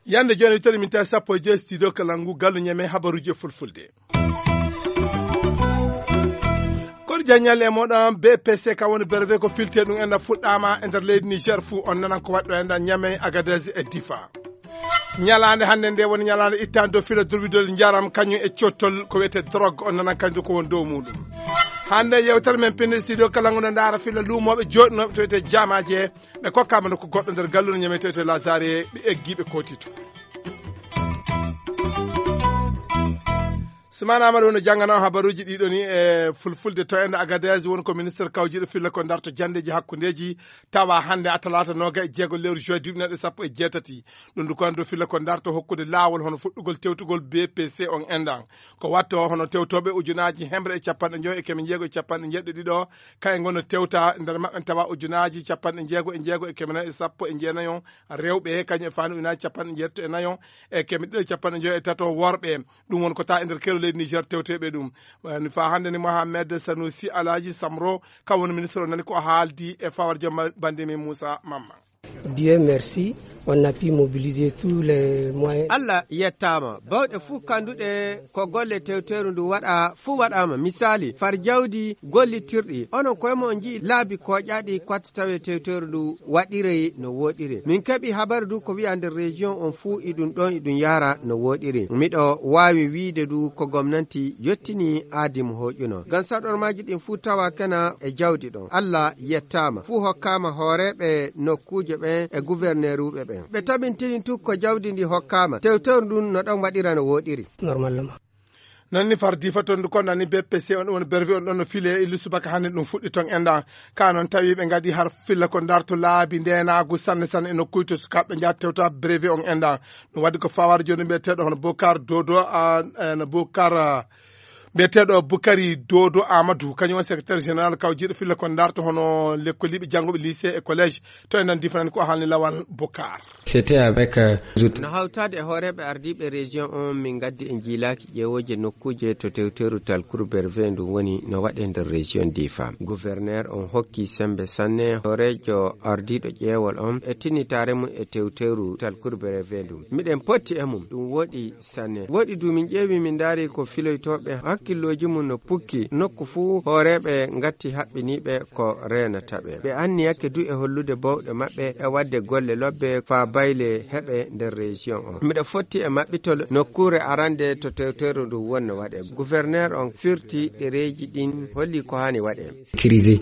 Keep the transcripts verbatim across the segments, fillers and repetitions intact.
Yande jooni, tawi min tawi sappo e joy studio Kalangu, gallu ñeme habaruuji e fulfulde. Koɗo jaññal e moɗon, B P C ka woni berbe ko filte ɗum enda fuɗɗaama e nder leydi Niger fuu. On nanan ko waɗɗo enda Ñamey, Agadez e Difa. Ñalaande hannde nde woni ñalaande ittaande dow filo durwidol njaram kañum e cottol ko wiyetee drogue. On nanan kañum ko woni dow muɗum. Hannde yewtere men pinde studio Kalangu no ndaara filo luumooɓe jooɗinooɓe to wiyetee jaamaaje. Ɓe kokkaama nokku goɗɗo nder galluure ñamey to wiyetee Lazare, ɓe eggi ɓe kooti to. Sumana Amadou no janngana on habaruuji ɗiɗo ni e fulfulde. To enda Agadez woni ko ministre kawjiiɗo filla ko darto janndeeji hakkundeeji, tawa hannde a talaata nooga e jeego lewru juin duuɓi naɗe sappo e jeetati. Ɗum du ko anndo filla ko darto hokkude laawol hono fuɗɗugol tewtugol B P C on endan. Ko watto hono tewtooɓe ujunaaji hemre e capanɗe njoy e keme jeego e capanɗe jeeɗiɗo ɗiɗo, kayen ngon no tewta nder maɓɓe tawa ujunaaji capanɗe jeego e jeego e keme nayi e sappo e jeenayon rewɓe, kañum e faanu ujunaaji capanɗe jeetati e nayon e keme ɗiɗo e capanɗe njoy e tato worɓe. Ɗum won ko ta e nder keero leydi Niger tewteɓe ɗum. Woni fa hannde ni Mohamed Sanusi Alaji Samro, ka woni ministre o, nani ko haaldi e fawar jom bande min Moussa Mamma. Dieu merci, on a pu mobiliser tous les moyens. Allah yettaama, bawɗe fuu kanduɗe ko golle tewteeru ndu waɗa fuu waɗaama. Misaali, far jawdi gollitirɗi, onon koye mon on nji'i laabi kooƴaaɗi ko watta tawe tewteeru ndu waɗirey no wooɗiri. Min keɓi habaru du ko wi'a nder région on fuu iɗum ɗon iɗum yaara no wooɗiri. Miɗo waawi wiide du ko gomnanti yottini aadi mo hooƴuno. Ngam saɗormaaji ɗin fuu tawa kena e jawdi ɗon. Allah yettaama. Fuu hokkaama hooreeɓe nokkuuje ɓen e guwerneeruuɓe ɓen. Ɓe tabintini tu ko jawdi ndi hokkaama. Tewtewru ndun no ɗon waɗira no wooɗiri. Normalement. Noon ni far Difa ton du ko nani B P C on, woni berwi on ɗon no file e illu subaka hannde ɗum fuɗɗi ton enda. Ka noon tawi ɓe ngadi har filla ko darto laabi ndenaagu sanne sanne e nokkuuji to sukaaɓe njaha tewta brevet on enda. Ɗum waɗi ko fawaade jooni mbiyeteeɗo hono Bokar Dodo, a, e, no Bokar, a, mbiyeteeɗo Bukari Dodo Amadou, kañum woni secrétaire général kawjiiɗo filla ko darto hono lekkoliiɓe janngooɓe lycée e collège. To enen Difa nan ko haalni Lawan Bokar. C'était avec, euh, no hawtaade e hooreeɓe ardiiɓe région on, min ngaddi en jiilaaki ƴeewooje nokkuuje to tewteeru talkuru berve ndu woni no waɗe nder région Difa. Gouverneur on hokki sembe sanne hooreejo ardiiɗo ƴeewol on e tinnitaare mum e tewteeru talkuru berve ndu. Miɗen potti e mum, ɗum wooɗi sanne. Wooɗi du min ƴeewi min ndaari ko filoytooɓe hakkillooji mum no pukki nokku fuu hooreeɓe ngatti haɓɓiniiɓe ko reenata ɓe. Ɓe anniyake du e hollude bawɗe maɓɓe e waɗde golle lobbe faa bayle heɓe nder région on. Miɗo fotti e maɓɓitol nokkuure arande to tewteeru ndu wonno waɗe. Gouverneur on firti ɗereeji ɗin holli ko haani waɗe. Sécurisé.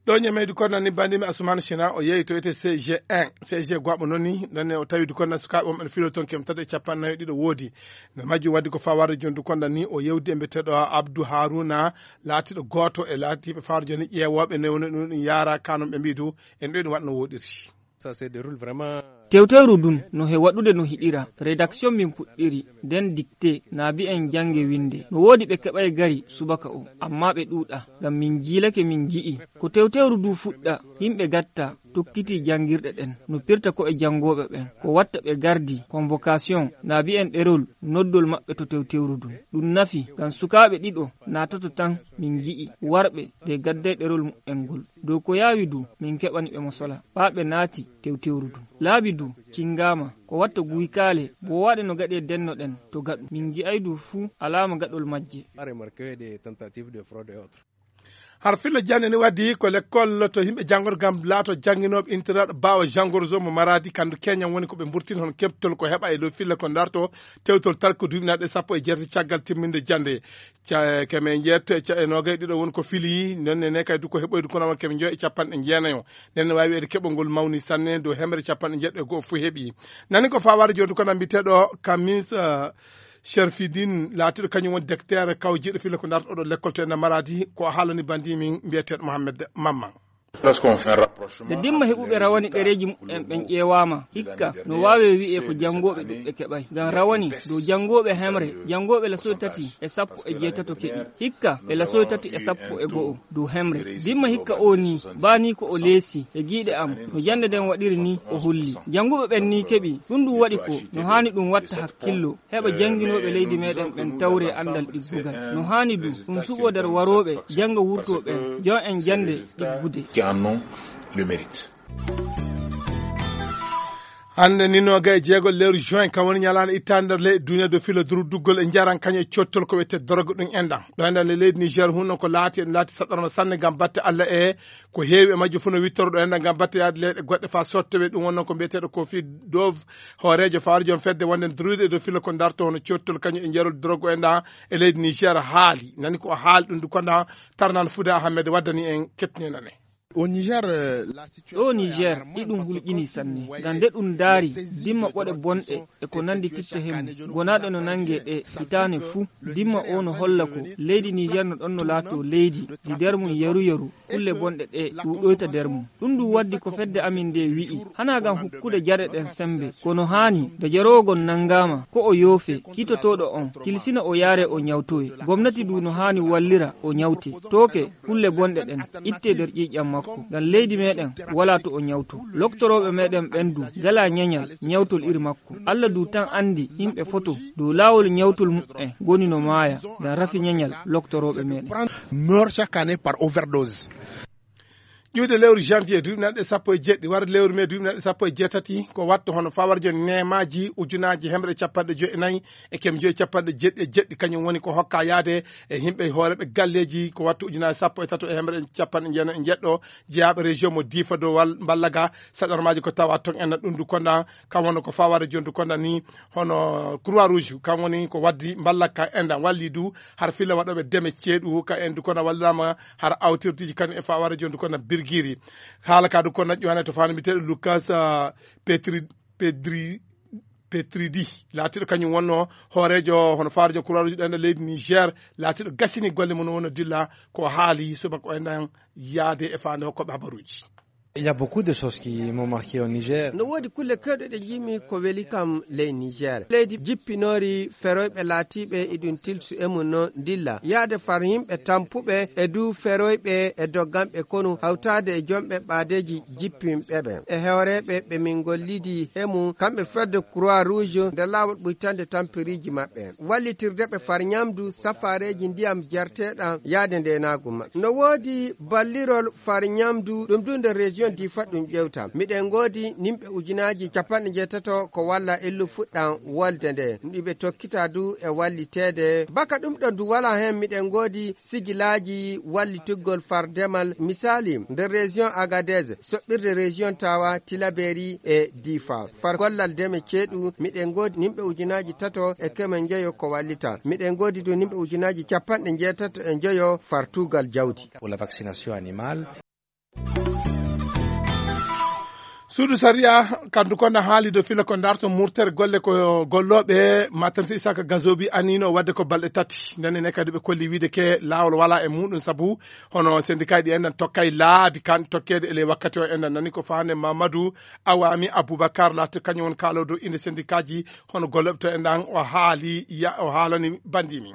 Ɗo ñameydi kono ni bandimi Asuman Sina o yehi to wiyetee C G un. C G gwaɓo noon ni, noon ne o tawi du kono sukaaɓe wonɓe no filo toon kemtata e capanɗe nayi e ɗiɗo woodi. Nder majjum waddi ko fawaade jooni du kono ni o yewdi e mbiyeteeɗo Abdou Haruna, laatiiɗo gooto e laatiiɓe fawaade jooni ƴeewooɓe ne woni ɗum ɗum yaara kanum ɓe mbiyi du en ɗo ɗum waɗa no woɗiri. Ça se déroule vraiment. Tewtewru ndun no he waɗude no hiɗira. Rédaction min puɗɗiri, nden dictée, naabi en jannge winde. No woodi ɓe keɓay gari subaka o, amma ɓe ɗuuɗa. Ngam min jiilake min ngi'i. Ko tewtewru ndu fuɗɗa, yimɓe gatta, tokkiti janngirɗe ɗen. No pirta ko e janngooɓe ɓen. Ko watta ɓe gardi, convocation, naabi en ɗerol, noddol maɓɓe to tewtewru ndun. Ɗum nafi, ngam sukaaɓe ɗiɗo naatoto tan min ngi'i. Warɓe de gadday ɗerol mu'en ngol. Dow ko yaawi du, min keɓani ɓe mo sola. Ɓaa ɓe naati tewtewru du. Laabi du, cingaama. Ko watta guykaale, bo waɗe no gaɗe denno ɗen to gaɗu. Min ngi'ay du fuu alaama gaɗol majje. Pas remarqué des tentatives de fraude et autres. Har filla jannde ni waddi ko lekkol to yimɓe janngor ngam laato jannginooɓe internaɗo Bawa Jangorzo mo Maradi kandu Keñan woni ko ɓe mburtini hono keɓtol ko heɓa e dow filla ko darto tewtol tal ko duuɓi naɗe sappo e jeetati caggal timminde jannde. Ca-, keme jeetto e ca-, e noogay ɗiɗo woni ko fili, noon ne kay du ko heɓoydu kono won keme njoy e capanɗe jeenayo. Nden ne waawi wiyeede keɓol ngol mawni sanne dow hemre capanɗe jeeɗiɗo e go'o fof heɓi. Nani ko fawaade jooni kono mbiteeɗo Kamis, eh, Sherfidin laatiiɗo kañum woni decteur kawjiiɗo filla ko darto oɗo lekkol to ena Maradi, ko haalani bandi min mbiyeteeɗo Mohamed Mamman. Nde dimma heɓuɓe rawani ɗereeji muɓɓen ɓen ƴeewaama, hikka no waawee wi'ee ko janngooɓe ɗuɓɓe keɓay. Ngam rawani dow janngooɓe hemre, janngooɓe lasoy tati e sappo e jeetato keɓi. Hikka e lasoy tati e sappo e go'o dow hemre. Dimma hikka oo nii, baa nii ko o leesi e giiɗe am, no jannde nden waɗiri nii o holli. Jannguɓe ɓen nii keɓi, ɗun ɗun waɗi ko no haani ɗun watta hakkillo. Heɓa jannginooɓe leydi meɗen ɓen tawree anndal ɗiggugal. No haani du, ɗun suɓoo nder warooɓe jannga wurtoo ɓen, jon en jannde ɗiggude. Qui en ont le mérite. Hannde ni nooga e jeego lewru juin, kam woni ñalaande ittaande nder leyɗe duniya dow filo durduggol e njaram kañum e cottol ko wiyetee doroge ɗum enɗam. Ɗo enɗam le leydi Niger hun noon ko laati, en laati saɗɗorma sanne ngam batte Alla e ko heewi e majjum fof no wittoro ɗo enɗam ngam batte yaade leyɗe goɗɗe faa sottowee. Ɗum won noon ko mbiyeteeɗo Kofi Dov, hooreejo fawre joom fedde wonde druide e dow filo ko darto hono cottol kañum e njarol doroge enɗam e leydi Niger haali. Nani ko o haali ɗum du konda tarnan Fuda Ahmed waddani en kettine nane. Au Niger, euh, la Ɗo Niger, iɗum hulƴinii sanne. Ngam nde ɗum ndaari, dimma ɓoɗe bonɗe e ko nanndi titta hemu, gonaaɗe no nanngee ɗe hitaane fuu. Dimma o no holla ko leydi Niger no ɗon no laatoo leydi ndi nder mum yeru-yeru, kulle bonɗe ɗe ɗuuɗoyta nder mum. Ɗum ɗum waddi ko fedde amin nde wi'i, hanaa ngam hokkude jare ɗen semmbe, kono haani nde jaroowo ngon nanngaama, ko o yoofee, kiitotooɗo on, tilsina o yaaree o ñawtoyee. Gomnati du no haani wallira o ñawtee. Tooke, kulle bonɗe ɗen, ittee nder ƴiiƴam makko, ngam leydi meɗen walaa to o ñawtoo. Loktorooɓe meɗen ɓen du ngalaa ñañal ñawtol iri makko. Alla du tan anndi yimɓe foto dow laawol ñawtol muɓɓen ngoni no maaya ngam rafi ñañal loktorooɓe meɗen. Meurt chaque année par overdose. Ƴiwde lewru janvier duuɓi nanɗe sappo e jeɗɗi, warde lewru mai duuɓi nanɗe sappo e jeetati, ko wattu hono fawarjo neemaaji ujunaaji hemre capanɗe joyi e nayi e keme joyi capanɗe jeɗɗi e jeɗɗi, kañum woni ko hokka yaade e yimɓe hooreeɓe galleeji, ko wattu ujunaaji sappo e tato e hemre capanɗe jeenayi e jeɗɗo, jeyaaɓe région mo Diifa dow wal-, mballaga saɗormaaji ko tawa ton en ɗum du konda, kam woni ko faware jondu konda ni, hono Croix Rouge, kam woni ko waddi mballaka enɗam walli du, har filla waɗooɓe deme ceeɗu, ka en du konda wallirama har awtirtiji kan e faware jondu konda birgiri. Haala ka du konda ƴowane to fano mbiyeteeɗo Lucas, ah, Petri-, Pedri-, Petridi, laatiiɗo kañum wonno hooreejo hono faarejo Croix Rouge ɗen ɗo leydi Niger, laatiiɗo gasini golle mum wonno dilla ko haali subaka o enɗan yaade e faande hokkooɓe habaruuji. Il y a beaucoup de choses qui m'ont marqué au Niger. No woodi kulle kewɗe ɗe njiimi ko weli kam ley Niger. Leydi jippinoori feroyɓe laatiiɓe iɗum tilsu e mum no ndilla. Yaade far yimɓe tampuɓe e du feroyɓe e dogganɓe konu hawtaade e jomɓe ɓaadeeji jippinɓe ɓen. E hooreeɓe ɓe min ngollidi he mum kamɓe fedde Croix Rouge nder laawol ɓuytande tampiriiji maɓɓe. Wallitirde ɓe far ñamdu safaareeji ndiyam jarteeɗam yaade ndeenaagu maɓɓe. No woodi ballirol far ñamdu, ɗum du nder région Difa ɗum ƴewta. Miɗen ngoodi nimɓe ujunaaji capanɗe njeetato ko walla illu fuɗɗam wolde nde. Ɗiɓe tokkita du e walliteede. Baka ɗum ɗon du wala heen miɗen ngoodi sigilaaji wallitugol far demal. Misaali, nder région Agadez, soɓɓirde région Tawa, Tilaberi e Difa. Far gollal deme ceeɗu, miɗen ngoodi nimɓe ujunaaji tato e keme njeyo ko wallita. Miɗen ngoodi du nimɓe ujunaaji capanɗe njeetato e njeyo far tuugal jawdi. Pour la vaccination animale. Suudu sariya, kandu konda haali dow fila ko darto murtere golle ko gollooɓe maternité Isaka Gazobi anino wadde ko balɗe tati. Ndenne ne kadi ɓe kolli wiide ke laawol wala e muɗum sabu hono syndicat ɗi enɗan tokkay laabi kan tokkeede e ley wakkati o enɗan nani ko fahande Mamadou Awami Aboubacar laati kañum won kaalo dow inde syndicat ji hono gollooɓe to enɗan o haali ya-, o haalani bandimi.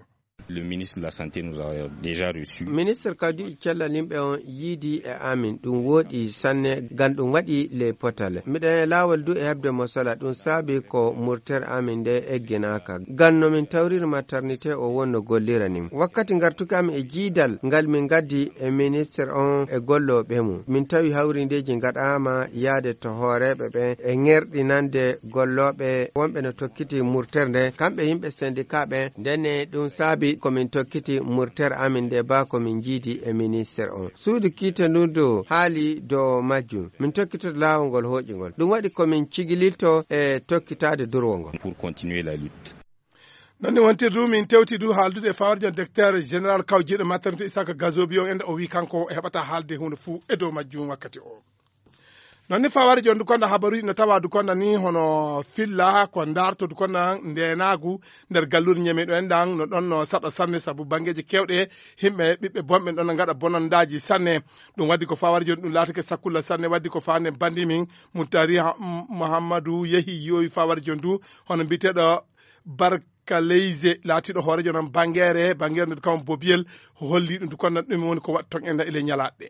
Le ministre de la Santé nous a déjà reçus. Ministre kadi cellal yimɓe on yiidi e amin, ɗum wooɗi sanne, gan ɗum waɗi ley potale. Miɗen e laawol du e heɓde mo sala, ɗum saabi ko murtere amin nde egginaaka. Gan no min tawriri maternité o wonno gollira nin. Wakkati ngartuki amin e jiidal ngal min gaddi e ministre on e gollooɓe mum, min tawi hawrindeeji ngaɗaama yaade to hooreeɓe ɓen e ŋerɗinande gollooɓe wonɓe no tokkiti murtere nde, kamɓe yimɓe syndicat ɓen. Ndenne ɗum saabi ko min tokkiti murtere amin nde baa ko min jiidi e ministre on. Suudu kiitandu ndu haali dow majjum. Min tokkitoto laawol ngol hooƴingol. Ɗum waɗi ko min cigililto e tokkitaade durwol ngol. Pour continuer la lutte. Non ni wontirdu min tewti du haaldude e fawrijo docteur général kawjiiɗo maternité Isaka Gazobi on ende o wi kanko o heɓata haalde huunde fuu e dow majjum wakkati o. Noon ni fawari jooni Dukonda habaruuji no tawa Dukonda ni hono filla ko ndaarto Dukonda ndeenaagu nder galluure Ñeme ɗo en ɗan no ɗon no saɗa sanne sabu banngeeji keewɗe himɓe ɓiɓɓe bonɓe ɗon no ngaɗa bonandaaji sanne. Ɗum waddi ko fawari jooni ɗum laatike sakkulla sanne waddi ko faande bandi min Muttari Muhammadu yehi yowi fawari jooni du hono mbiyeteeɗo Barkaleyse laatiiɗo hooreejo noon banngeere banngeere nde kam Bobiyel holli ɗum Dukonda ɗum woni ko waɗi toon enda e ley ñalaaɗe.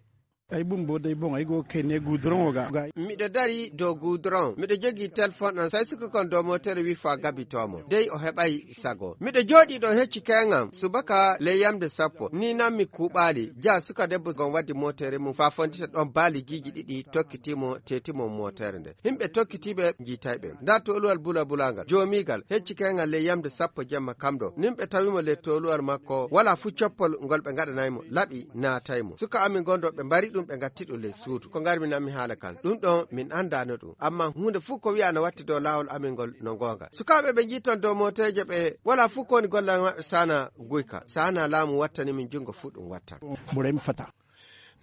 Ay bun bo day bon ay go kay ne goudron o ga. Miɗo dari dow goudron miɗo jogii telefon am sai suka kon dow motere wi fa gabitoo mo dey o heɓay sago miɗo jooɗii ɗo hecci keŋam subaka ley yamde sappo ni nammi kuuɓaali ja suka debbo gon waddi motere mum fa fondita ɗon baali giiji ɗiɗi tokkitii mo teeti mo motere nde. Himɓe tokkitiiɓe njiitayɓe nda toluwal bulabulagal joomiigal hecci keŋal ley yamde sappo jemma kam ɗo nimɓe tawimo ley toluwal makko wala fuu coppol ngol ɓe ngaɗanaymo laɓi naataymo suka amin gonɗo ɓe mbari ɗum ɓe ngatti ɗum ley suudu ko ngarmi nammi haala kan ɗum ɗon min andano ɗum amma huunde fuu ko wi'a no watti dow laawol amin ngol no ngonga sukaaɓe ɓe njiiton dow mooteeje ɓe wala fuu ko woni gollal maɓɓe sana guyka sana laamu wattani min junngo fuu ɗum watta. Burem fata.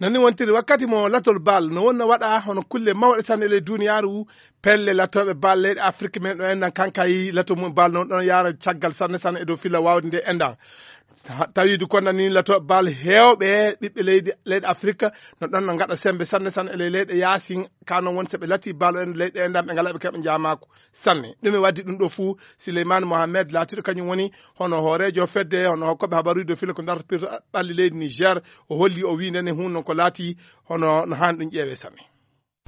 Noon ni wontiri wakkati mo latol bal no wonna waɗa hono kulle mawɗe tan e ley duniyaaru pelle latooɓe bal leyɗe afrik men ɗo enɗan kankay lato mum bal noon ɗon yaara caggal sanne sanne e dow filla waawde nde enɗan tawiidu konda ni latooɓe bal heewɓe ɓiɓɓe leydi leyɗe afrik no ɗon no ngaɗa sembe sanne sanne e ley leyɗe yaasin ka noon woni so ɓe lati bal en leyɗe enɗan ɓe ngala ɓe keɓa njaamaako sanne ɗum e waddi ɗum ɗo fuu. Sileyman mohammed laatiiɗo kañum woni hono hooreejo fedde hono hokkoɓe habaruuji dow filla ko dartopirta ɓalli leydi niger o holli o wii ndene hun noon ko laati hono no haani ɗum ƴeewe sanne.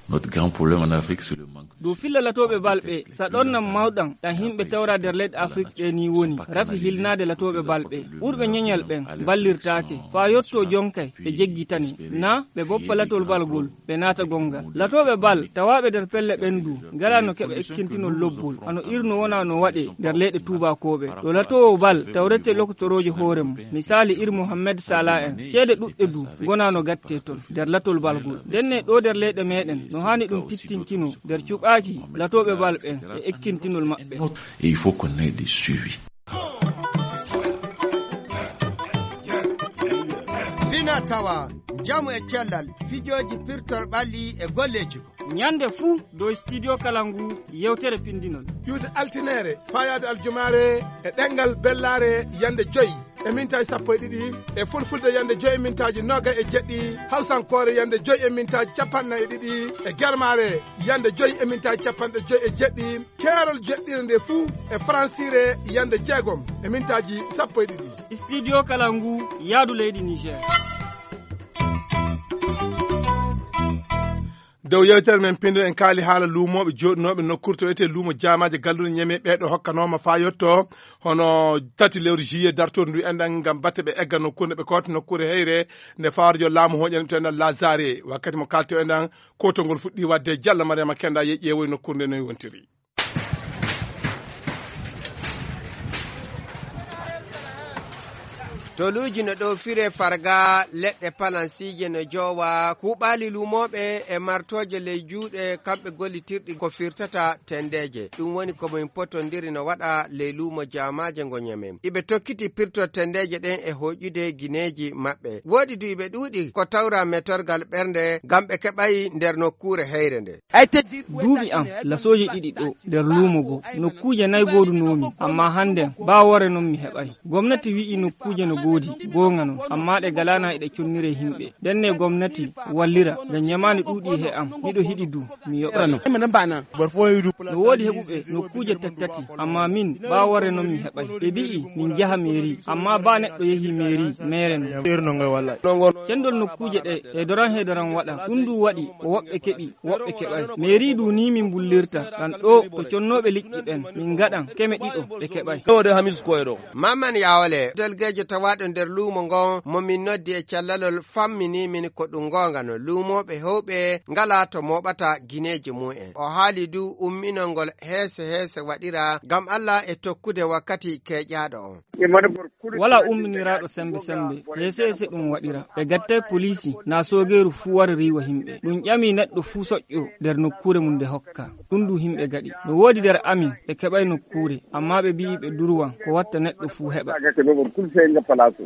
Notre grand problème en afrique c'est le manque. Dow filla latooɓe bal ɓe saɗornan mawɗan ɗan himɓe tawra nder leyɗe afrik ɗe ni woni rafi hilnaade latooɓe bal ɓe ɓurɓe ñeñal ɓen mballirtaake faa yotto jonkay ɓe jeggitani na ɓe boppa latol bal gol ɓe naata gonga latooɓe bal tawaaɓe nder pelle ɓen du ngalaa no keɓa ekkintinol lobbol hano irno wonaa no waɗee nder leyɗe tuubaakooɓe ɗo latoowo bal tawrete lokotoroojo hoore mum misaali ir mohammed sala en ceede ɗuɗɗe du ngonaa no gattee ton nder latol bal gol ndenne ɗo nder leyɗe meɗen no haani ɗum tittinkinoo nder cuɓaaki latooɓe bal ɓen e ekkintinol maɓɓe. Et il faut qu'on ait des suivis. Fina tawa njamu e cellal fijooji pirtol ɓalli e golleeji ko ñande fuu dow studio kala ngu yewtere pindinol ƴuude altineere faayaade aljumaare e ɗenngal bellaare yande joyi e mintaaji sappo e ɗiɗi e fulfulde yande joyi e mintaaji nooga e jeɗɗi hawsankoore yande joyi e mintaaji capanɗe e ɗiɗi e germaare yande joyi e mintaaji capanɗe joyi e jeɗɗi keerol jeɗɗire nde fuu e faransiire yande jeegom e mintaaji sappo e ɗiɗi. Studio kala ngu yaadu leydi niger. Dow yewtere men pinndo en kaali haala luumooɓe jooɗinooɓe nokkuure to wiyetee luumo jaamaaji galluure ñeme ɓeeɗo hokkanooma faa yotto hono tati lewru juillet dartoor ndu enɗan ngam batte ɓe egga nokkuure nde ɓe koota nokkuure heyre nde fawarjo laamu hoƴani to enɗan lazare wakkati mo kaalto enɗan kotol ngol fuɗɗi waɗde jalla mariama kenda yeƴƴe woy nokkuure nde noy wontiri. Toluuji no ɗo fire farga leɗɗe palansiije no joowa kuuɓaali luumooɓe e martooje ley juuɗe kamɓe gollitirɗi ko firtata tenndeeje ɗum woni ko min potondiri no waɗa ley luumo jaamaaje ngo ñamen iɓe tokkiti pirto tenndeeje ɗen e hoƴude gineeji maɓɓe woɗi du iɓe ɗuuɗi ko tawra metorgal ɓernde ngam ɓe keɓay nder nokkuure heyre nde. Duuɓi am lasooji ɗiɗi ɗo nder luumo goo nokkuuje nay ngoodunoomi ammaa hannden baa worre non mi heɓay. Gomnati wi'i nokkuuje no goodi goonga non ammaa ɗe ngalaana e ɗe conniree himɓe ndenne gomnati wallira ngam ñamaandi ɗuuɗii he am miɗo hiɗi du mi yoɓa. No woodi heɓuɓe nokkuuje tattati ammaa min baa worre non mi heɓay ɓe mbi'i min njaha meeri ammaa baa neɗɗo yehi meeri meere non. Cenndol nokkuuje ɗe heedoran heedoran waɗa ɗum du waɗi ko woɓɓe keɓi woɓɓe keɓay meeri du ni min mbullirta ɗan ɗo ko connooɓe liƴƴi ɓen min ngaɗan keme ɗiɗo ɓe keɓay. Maman yawole delgeejo tawaaɗo nder luumo ngon mo min noddi e callalol fammini min ko ɗum ngoonga no luumooɓe hewɓe ngalaa to mooɓata gineeji mum en o haali du umminol ngol heese heese waɗira ngam allah e tokkude wakkati keeƴaaɗo on. Walaa umminiraaɗo semmbe semmbe heese heese ɗum waɗira ɓe gattay poliisi naa soogeeru fuu wara riiwa himɓe ɗum ƴami neɗɗo fuu soƴƴo nder nokkuure mum nde hokka. Ɗum du himɓe gaɗi no woodi nder amin ɓe keɓay nokkuure ammaa ɓe bi'i ɓe durwan ko watta neɗɗo fuu heɓa.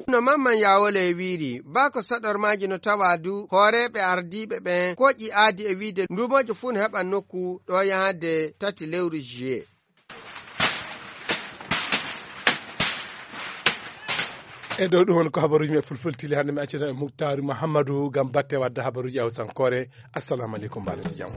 No Mamman Yawole e wiiri, baa ko saɗormaaji no tawa du hooreeɓe ardiiɓe ɓen koƴi aadi e wiide nduumoojo fuu no heɓa nokku ɗo yahde tati lewru juillet. E dow ɗum woni ko habaruuji men fulfulde tili hannde, mi accita e Muktaaru Mahammadu ngam batte wadde habaruuji Hawsankoore. Assalamu aleykum, mbaɗen jam.